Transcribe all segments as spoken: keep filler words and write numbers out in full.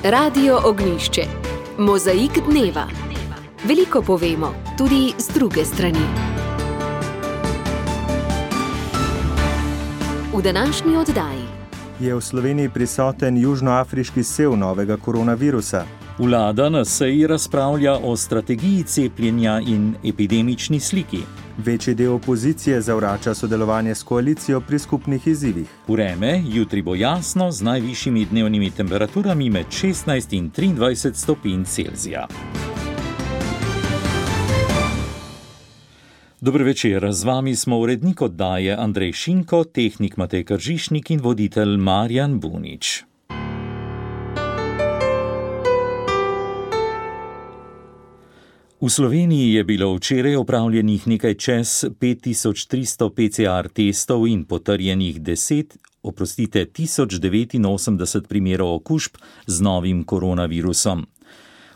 Radio Ognjišče. Mozaik dneva. Veliko povemo, tudi z druge strani. V današnji oddaji. Je v Sloveniji prisoten južnoafriški sev novega koronavirusa? Vlada na seji razpravlja o strategiji cepljenja in epidemični sliki. Večji del opozicije zavrača sodelovanje s koalicijo pri skupnih izzivih. Vreme jutri bo jasno z najvišjimi dnevnimi temperaturami med šestnajst in triindvajset stopinj Celzija. Dober večer, z vami smo urednik oddaje Andrej Šinko, tehnik Matej Kržišnik in voditelj Marjan Bunič. V Sloveniji je bilo včeraj opravljenih nekaj čez pet tisoč tristo P C R testov in potrjenih deset, oprostite, tisoč devetinosemdeset primerov okužb z novim koronavirusom.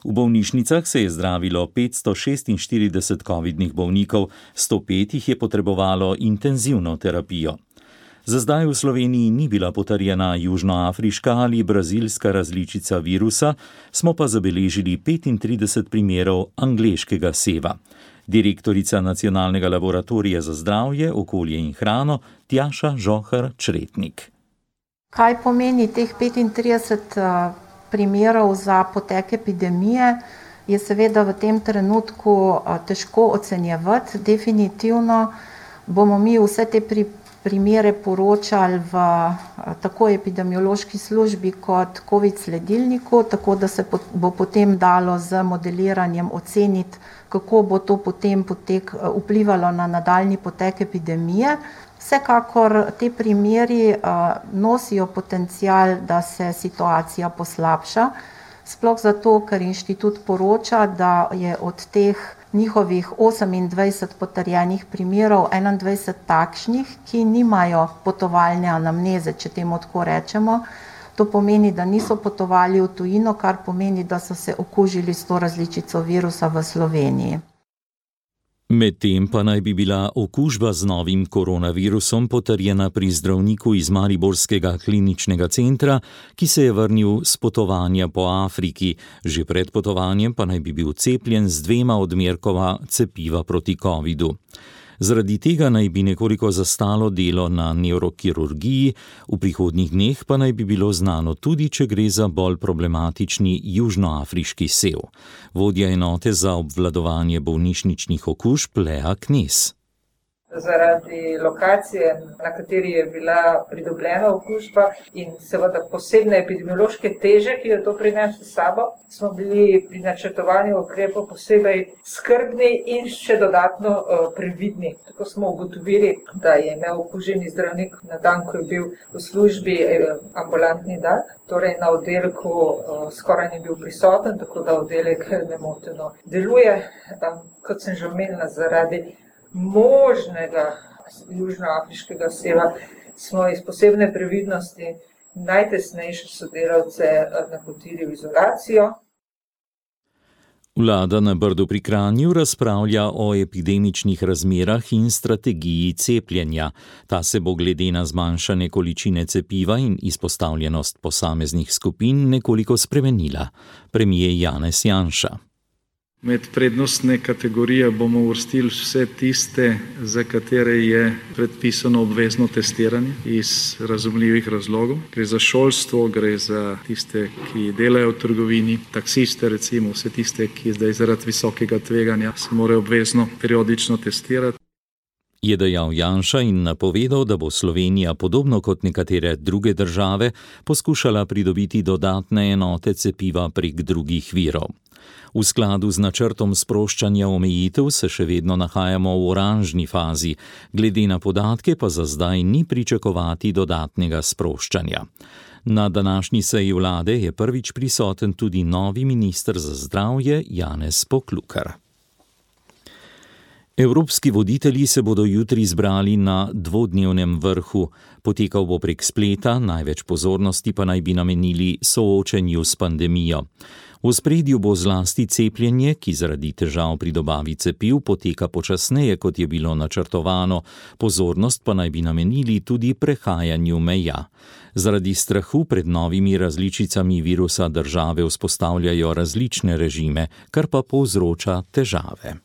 V bolnišnicah se je zdravilo petsto šestinštirideset covidnih bolnikov, sto pet jih je potrebovalo intenzivno terapijo. Za zdaj v Sloveniji ni bila potrjena južnoafriška ali brazilska različica virusa, smo pa zabeležili petintrideset primerov angleškega seva. Direktorica Nacionalnega laboratorija za zdravje, okolje in hrano Tjaša Žohar-Čretnik. Kaj pomeni teh petintrideset primerov za potek epidemije, je seveda v tem trenutku težko ocenjevati. Definitivno bomo mi vse te primerov primere poročali v tako epidemiološki službi kot COVID sledilniku, tako da se bo potem dalo z modeliranjem oceniti, kako bo to potem potek, vplivalo na nadaljnji potek epidemije. Vsekakor te primeri nosijo potencial, da se situacija poslabša, sploh zato, ker inštitut poroča, da je od teh njihovih osemindvajset potrjenih primerov, enaindvajset takšnih, ki nimajo potovalne anamneze, če temu tako rečemo. To pomeni, da niso potovali v tujino, kar pomeni, da so se okužili s to različico virusa v Sloveniji. Medtem pa naj bi bila okužba z novim koronavirusom potrjena pri zdravniku iz Mariborskega kliničnega centra, ki se je vrnil s potovanja po Afriki. Že pred potovanjem pa naj bi bil cepljen z dvema odmerkova cepiva proti covidu. Zaradi tega naj bi nekoliko zastalo delo na nevrokirurgiji, v prihodnjih dneh pa naj bi bilo znano tudi, če gre za bolj problematični južnoafriški sev. Vodja enote za obvladovanje bolnišničnih okužb Lea Knez. Zaradi lokacije, na kateri je bila pridobljena okužba in seveda posebne epidemiološke teže, ki jo to prinese s sabo, smo bili pri načrtovanju ukrepov posebej skrbni in še dodatno uh, previdni. Tako smo ugotovili, da je imel okuženi zdravnik na dan, ko je bil v službi eh, ambulantni dan, torej na oddelku uh, skoraj ni bil prisoten, tako da oddelek nemoteno deluje. Um, kot sem že omenila, zaradi možnega južnoafriškega seva smo iz posebne previdnosti najtesnejše sodelavce napotili v izolacijo. Vlada na Brdu pri Kranju razpravlja o epidemičnih razmerah in strategiji cepljenja. Ta se bo glede na zmanjšane količine cepiva in izpostavljenost posameznih skupin nekoliko spremenila. Premier Janez Janša. Med prednostne kategorije bomo uvrstili vse tiste, za katere je predpisano obvezno testiranje iz razumljivih razlogov. Gre za šolstvo, gre za tiste, ki delajo v trgovini, taksiste recimo, vse tiste, ki zdaj zaradi visokega tveganja se morajo obvezno periodično testirati. Je dejal Janša in napovedal, da bo Slovenija, podobno kot nekatere druge države, poskušala pridobiti dodatne enote cepiva prek drugih virov. V skladu z načrtom sproščanja omejitev se še vedno nahajamo v oranžni fazi, glede na podatke pa za zdaj ni pričakovati dodatnega sproščanja. Na današnji seji vlade je prvič prisoten tudi novi minister za zdravje Janez Poklukar. Evropski voditelji se bodo jutri zbrali na dvodnevnem vrhu. Potekal bo prek spleta, največ pozornosti pa naj bi namenili soočenju s pandemijo. V ospredju bo zlasti cepljenje, ki zaradi težav pri dobavi cepiv poteka počasneje, kot je bilo načrtovano, pozornost pa naj bi namenili tudi prehajanju meja. Zaradi strahu pred novimi različicami virusa države vzpostavljajo različne režime, kar pa povzroča težave.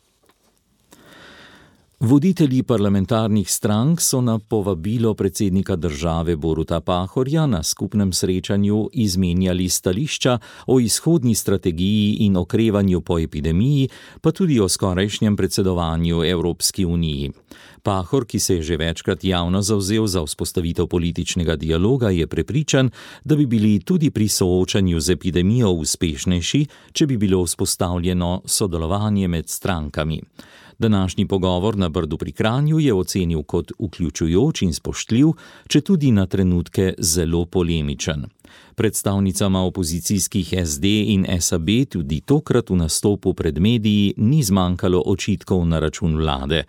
Voditelji parlamentarnih strank so na povabilo predsednika države Boruta Pahorja na skupnem srečanju izmenjali stališča o izhodni strategiji in okrevanju po epidemiji, pa tudi o skorajšnjem predsedovanju Evropski uniji. Pahor, ki se je že večkrat javno zavzel za vzpostavitev političnega dialoga, je prepričan, da bi bili tudi pri soočanju z epidemijo uspešnejši, če bi bilo vzpostavljeno sodelovanje med strankami. Današnji pogovor na Brdu pri Kranju je ocenil kot vključujoč in spoštljiv, če tudi na trenutke zelo polemičen. Predstavnicama opozicijskih S D in S A B tudi tokrat v nastopu pred mediji ni zmanjkalo očitkov na račun vlade.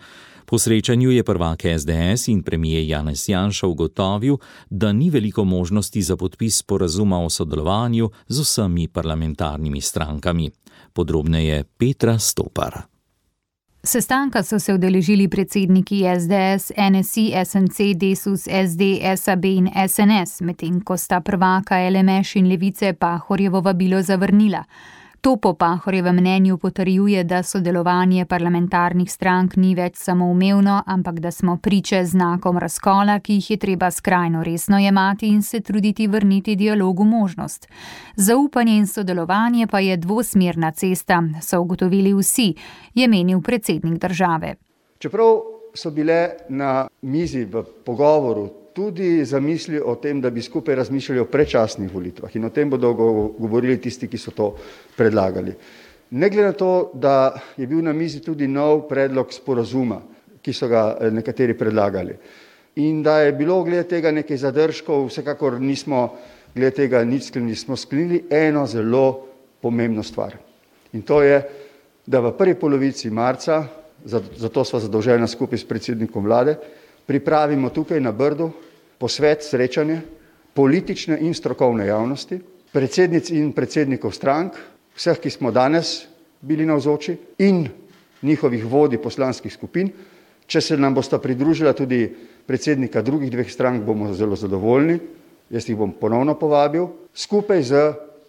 Po srečanju je prvak S D S in premijer Janez Janša ugotovil, da ni veliko možnosti za podpis sporazuma o sodelovanju z vsemi parlamentarnimi strankami. Podrobneje Petra Stopar. Sestanka so se udeležili predsedniki S D S, N S I, S M C, Desus, S D, S A B in S N S, medtem ko sta prvaka L M Š in Levice Pahorjevo vabilo zavrnila. To po Pahorjevem mnenju potrjuje, da sodelovanje parlamentarnih strank ni več samoumevno, ampak da smo priče znakom razkola, ki jih je treba skrajno resno jemati in se truditi vrniti dialogu možnost. Zaupanje in sodelovanje pa je dvosmerna cesta, so ugotovili vsi, je menil predsednik države. Čeprav so bile na mizi v pogovoru tudi zamisli o tem, da bi skupaj razmišljali o predčasnih volitvah in o tem bodo govorili tisti, ki so to predlagali. Ne glede na to, da je bil na mizi tudi nov predlog sporazuma, ki so ga nekateri predlagali. In da je bilo glede tega nekaj zadržkov, vsekakor nismo glede tega nič sklenili, smo sklenili eno zelo pomembno stvar. In to je, da v prvi polovici marca, zato sva zadolžena skupaj s predsednikom vlade, pripravimo tukaj na Brdu posvet, srečanje politične in strokovne javnosti, predsednic in predsednikov strank, vseh, ki smo danes bili navzoči in njihovih vodij poslanskih skupin. Če se nam bosta pridružila tudi predsednika drugih dveh strank, bomo zelo zadovoljni. Jaz jih bom ponovno povabil, skupaj z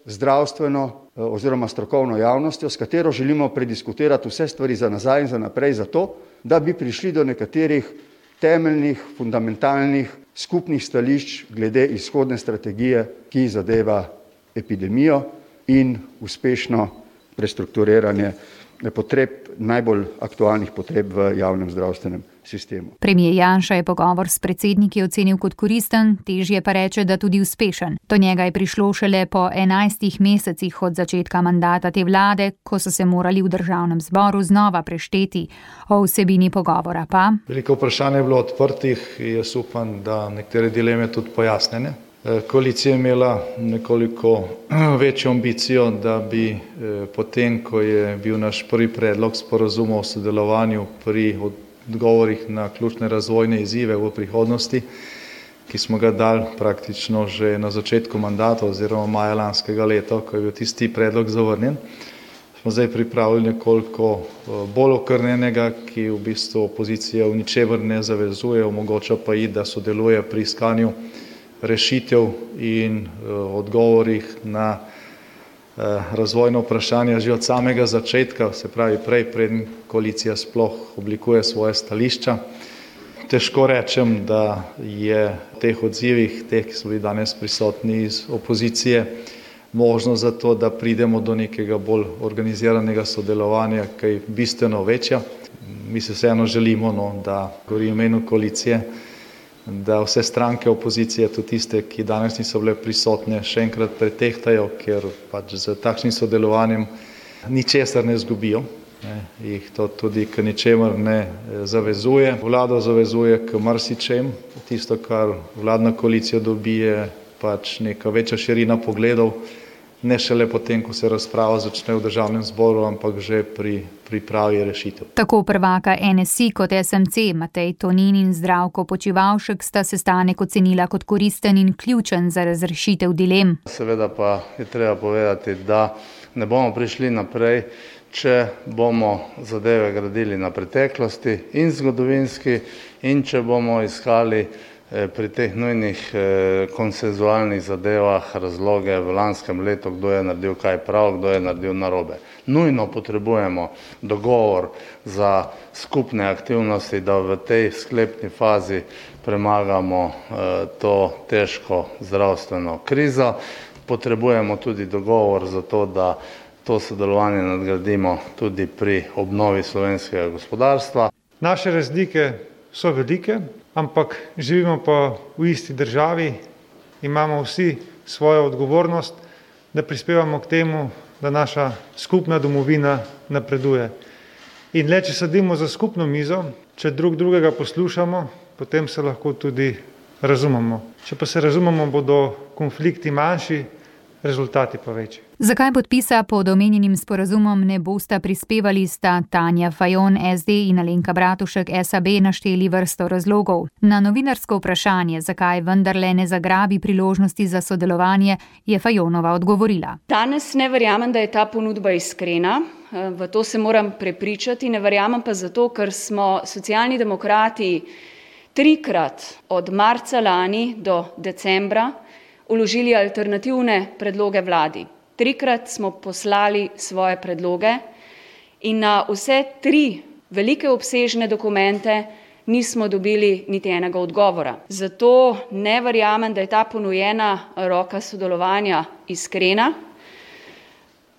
zdravstveno oziroma strokovno javnostjo, s katero želimo prediskutirati vse stvari za nazaj in za naprej, zato, da bi prišli do nekaterih temeljnih, fundamentalnih, skupnih stališč glede izhodne strategije, ki zadeva epidemijo in uspešno prestrukturiranje potreb, najbolj aktualnih potreb v javnem zdravstvenem sistemu. Premijer Janša je pogovor s predsedniki ocenil kot koristen, težje pa reče, da tudi uspešen. Do njega je prišlo šele po enajstih mesecih od začetka mandata te vlade, ko so se morali v državnem zboru znova prešteti. O vsebini pogovora pa. Veliko vprašanje je bilo odprtih, jaz upam, da nekatere dileme tudi pojasnjene. Koalicija je imela nekoliko večjo ambicijo, da bi potem, ko je bil naš prvi predlog sporazuma o sodelovanju pri odgovorih na ključne razvojne izzive v prihodnosti, ki smo ga dali praktično že na začetku mandata oziroma maja lanskega leta, ko je bil tisti predlog zavrnjen, smo zdaj pripravili nekoliko bolj okrnjenega, ki v bistvu opozicija v ničemer ne zavezuje, omogoča pa ji, da sodeluje pri iskanju rešitev in uh, odgovorih na uh, razvojno vprašanje že od samega začetka, se pravi prej, preden koalicija sploh oblikuje svoje stališča. Težko rečem, da je v teh odzivih, teh, ki so bili danes prisotni iz opozicije, možno za to, da pridemo do nekega bolj organiziranega sodelovanja, kaj bistveno večja. Mi se vseeno želimo, no, da govorim v imenu koalicije, da vse stranke opozicije, tudi tiste, ki danes niso bile prisotne, še enkrat pretehtajo, ker pač z takšnim sodelovanjem ničesar ne zgubijo. Ne, jih to tudi k ničemer ne zavezuje. Vlado zavezuje k marsičem. Tisto, kar vladna koalicija dobi, je pač neka večja širina pogledov, ne šele potem, ko se razprava začne v državnem zboru, ampak že pri pripravi rešitev. Tako prvaka N S I kot S M C, Matej Tonin in Zdravko Počivalšek sta sestanek ocenila kot koristen in ključen za razrešitev dilem. Seveda pa je treba povedati, da ne bomo prišli naprej, če bomo zadeve gradili na preteklosti in zgodovinski in če bomo iskali pri teh nujnih konsenzualnih zadevah razloge v lanskem letu, kdo je naredil kaj prav, kdo je naredil narobe. Nujno potrebujemo dogovor za skupne aktivnosti, da v tej sklepni fazi premagamo to težko zdravstveno krizo. Potrebujemo tudi dogovor za to, da to sodelovanje nadgradimo tudi pri obnovi slovenskega gospodarstva. Naše razlike so velike, ampak živimo pa v isti državi, imamo vsi svojo odgovornost, da prispevamo k temu, da naša skupna domovina napreduje. In le, če sedimo za skupno mizo, če drug drugega poslušamo, potem se lahko tudi razumemo. Če pa se razumemo, bodo konflikti manjši, rezultati pa večji. Zakaj podpisa pod omenjenim sporazumom ne bosta prispevali, sta Tanja Fajon S D in Alenka Bratušek S A B našteli vrsto razlogov. Na novinarsko vprašanje, zakaj vendarle ne zagrabi priložnosti za sodelovanje, je Fajonova odgovorila. Danes ne verjamem, da je ta ponudba iskrena, v to se moram prepričati, ne verjamem pa zato, ker smo Socialni demokrati trikrat od marca lani do decembra vložili alternativne predloge vladi. Trikrat smo poslali svoje predloge in na vse tri velike obsežne dokumente nismo dobili niti enega odgovora. Zato ne verjamem, da je ta ponujena roka sodelovanja iskrena.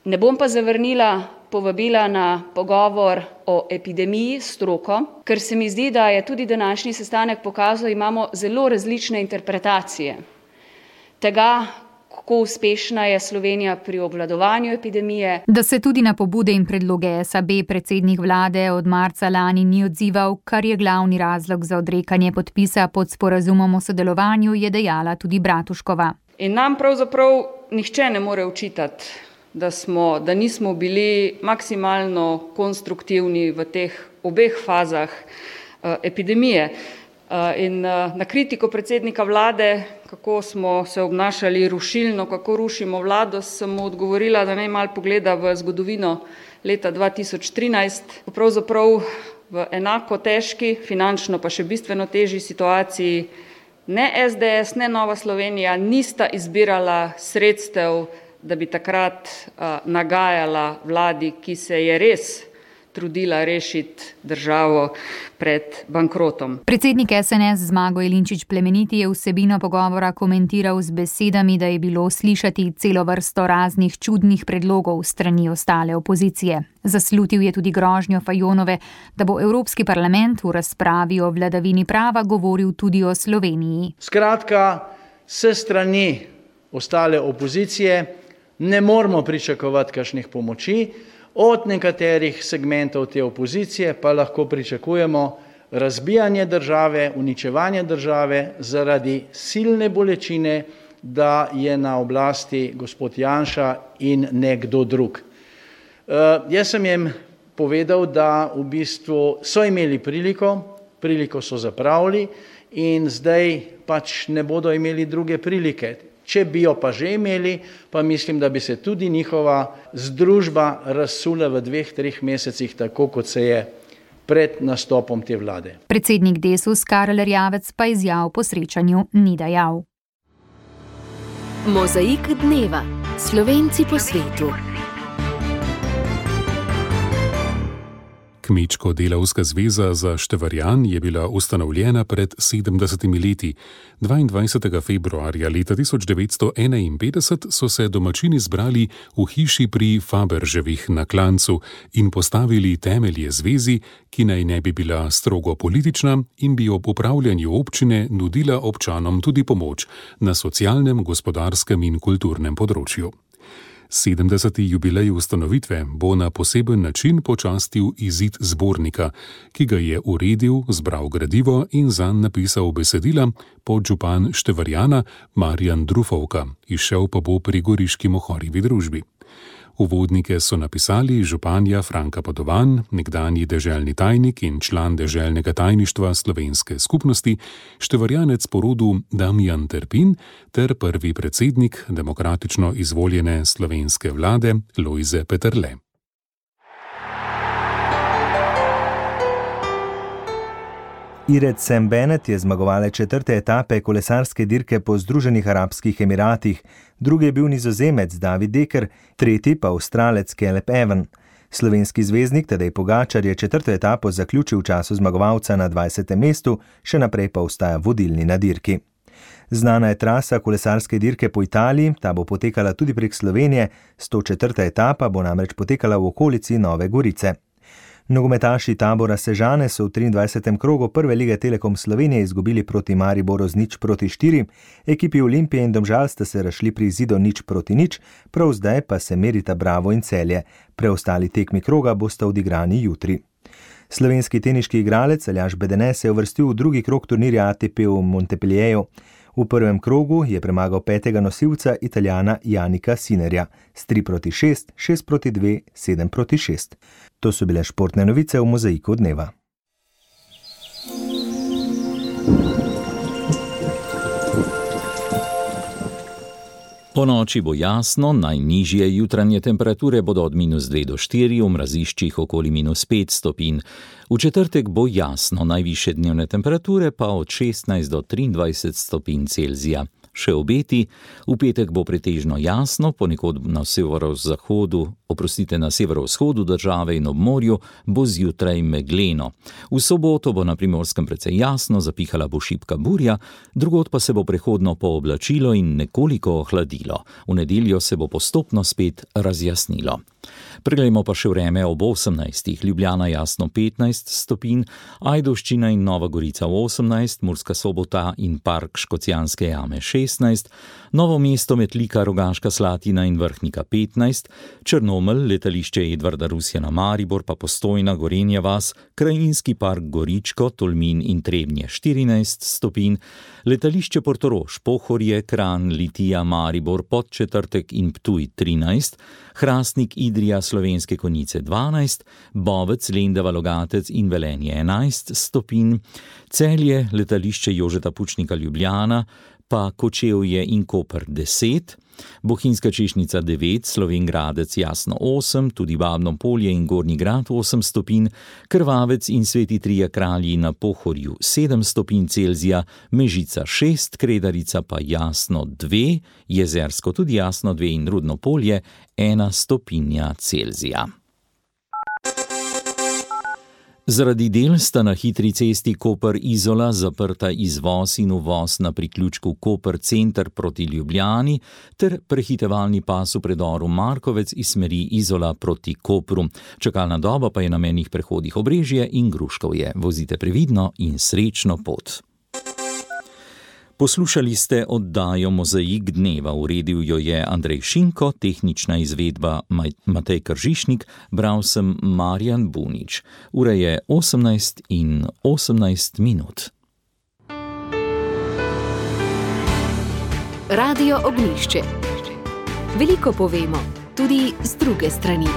Ne bom pa zavrnila povabila na pogovor o epidemiji s stroko, ker se mi zdi, da je tudi današnji sestanek pokazal, imamo zelo različne interpretacije tega, kako uspešna je Slovenija pri obvladovanju epidemije. Da se tudi na pobude in predloge S A B predsednik vlade od marca lani ni odzival, kar je glavni razlog za odrekanje podpisa pod sporazumom o sodelovanju, je dejala tudi Bratuškova. In nam pravzaprav nihče ne more očitati, da smo, da nismo bili maksimalno konstruktivni v teh obeh fazah uh, epidemije. In na kritiko predsednika vlade, kako smo se obnašali rušilno, kako rušimo vlado, sem mu odgovorila, da naj malo pogleda v zgodovino leta dva tisoč trinajst. Pravzaprav v enako težki, finančno pa še bistveno težji situaciji ne S D S, ne Nova Slovenija nista izbirala sredstev, da bi takrat uh, nagajala vladi, ki se je res trudila rešiti državo pred bankrotom. Predsednik S N S Zmago Jelinčič Plemeniti je vsebino pogovora komentiral z besedami, da je bilo slišati celo vrsto raznih čudnih predlogov strani ostale opozicije. Zaslutil je tudi grožnjo Fajonove, da bo Evropski parlament v razpravi o vladavini prava govoril tudi o Sloveniji. Skratka, s strani ostale opozicije ne moramo pričakovati kakšnih pomoči. Od nekaterih segmentov te opozicije pa lahko pričakujemo razbijanje države, uničevanje države zaradi silne bolečine, da je na oblasti gospod Janša in nekdo drug. Uh, jaz sem jim povedal, da v bistvu so imeli priliko, priliko so zapravili in zdaj pač ne bodo imeli druge prilike. Če bi jo pa že imeli, pa mislim, da bi se tudi njihova združba razsula v dveh, treh mesecih, tako kot se je pred nastopom te vlade. Predsednik Desus Karel Erjavec pa izjav po srečanju ni dajal. Mozaik dneva. Slovenci po svetu. Kmečko-delavska zveza za Števarjan je bila ustanovljena pred sedemdesetimi leti. dvaindvajsetega februarja leta tisoč devetsto enainpetdeset so se domačini zbrali v hiši pri Faberževih na Klancu in postavili temelje zvezi, ki naj ne bi bila strogo politična in bi ob upravljanju občine nudila občanom tudi pomoč na socialnem, gospodarskem in kulturnem področju. sedemdeseti jubilej ustanovitve bo na poseben način počastil izid zbornika, ki ga je uredil, zbral gradivo in zanj napisal besedila podžupan Števarjana Marjan Drufovka, izšel pa bo pri Goriški mohorjevi družbi. Uvodnike so napisali županja Franka Potovan, nekdanji deželni tajnik in član deželnega tajništva slovenske skupnosti, števarjanec po rodu Damjan Terpin ter prvi predsednik demokratično izvoljene slovenske vlade Lojze Peterle. Ired Sam Bennett je zmagovalec četrte etape kolesarske dirke po Združenih arabskih emiratih, drugi je bil Nizozemec David Dekker, tretji pa Avstralec Caleb Ewan. Slovenski zvezdnik Tadej Pogačar je četrto etapo zaključil v času zmagovalca na dvajsetem mestu, še naprej pa ostaja vodilni na dirki. Znana je trasa kolesarske dirke po Italiji, ta bo potekala tudi prek Slovenije, sto četrta etapa bo namreč potekala v okolici Nove Gorice. Nogometaši Tabora Sežane so v triindvajsetem krogu prve lige Telekom Slovenije izgubili proti Mariboru z nič proti štiri, ekipi Olimpije in Domžal sta se razšli pri izidu nič proti nič, prav zdaj pa se merita Bravo in Celje. Preostali tekmi kroga bosta odigrani jutri. Slovenski teniški igralec Aljaž Bedene se je uvrstil v drugi krog turnirja A T P v Montpellieru. V prvem krogu je premagal petega nosilca Italijana Janika Sinerja s tri proti šest, šest proti dve, sedem proti šest. To so bile športne novice v Mozaiku dneva. Po noči bo jasno, najnižje jutranje temperature bodo od minus dve do štiri, v mraziščih okoli minus pet stopinj. V četrtek bo jasno, najvišje dnevne temperature pa od šestnajst do triindvajset stopinj Celzija. Še obeti, v petek bo pretežno jasno, ponekod na severozahodu, oprostite, na severovzhodu države in ob morju bo zjutraj megleno. V soboto bo na Primorskem precej jasno, zapihala bo šibka burja, drugod pa se bo prehodno pooblačilo in nekoliko ohladilo. V nedeljo se bo postopno spet razjasnilo. Preglejmo pa še vreme ob osemnajstih, Ljubljana jasno petnajst stopinj, Ajdovščina in Nova Gorica osemnajst, Murska Sobota in Park Škocjanske jame šestnajst, Novo mesto, Metlika, Rogaška Slatina in Vrhnika petnajst, Črnomelj, letališče Edvarda Rusjana Maribor pa Postojna, Gorenja vas, Krajinski park Goričko, Tolmin in Trebnje štirinajst stopinj, letališče Portorož, Pohorje, Kranj, Litija, Maribor, Podčetrtek in Ptuj trinajst, Hrastnik, Idrija, Slovenske Konjice dvanajst, Bovec, Lendava, Logatec in Velenje enajst stopinj, Celje, letališče Jožeta Pučnika Ljubljana, pa Kočevje in Koper deset, Bohinjska Češnjica devet, Slovenj Gradec jasno osem, tudi Babno Polje in Gornji Grad osem stopinj, Krvavec in Sveti Trije Kralji na Pohorju sedem stopinj Celzija, Mežica šest, Kredarica pa jasno dve, Jezersko tudi jasno dve in Rudno Polje ena stopinja Celzija. Zaradi del sta na hitri cesti Koper-Izola zaprta izvoz in uvoz na priključku Koper center proti Ljubljani ter prehitevalni pas v predoru Markovec iz smeri Izola proti Kopru. Čakalna doba pa je na mejnih prehodih Obrežje in Gruškovje. Vozite previdno in srečno pot. Poslušali ste oddajo Mozaik dneva, uredil jo je Andrej Šinko, tehnična izvedba Matej Kržišnik, bral sem Marjan Bunič. Ura je osemnajst in osemnajst minut. Radio Ognjišče. Veliko povemo, tudi z druge strani.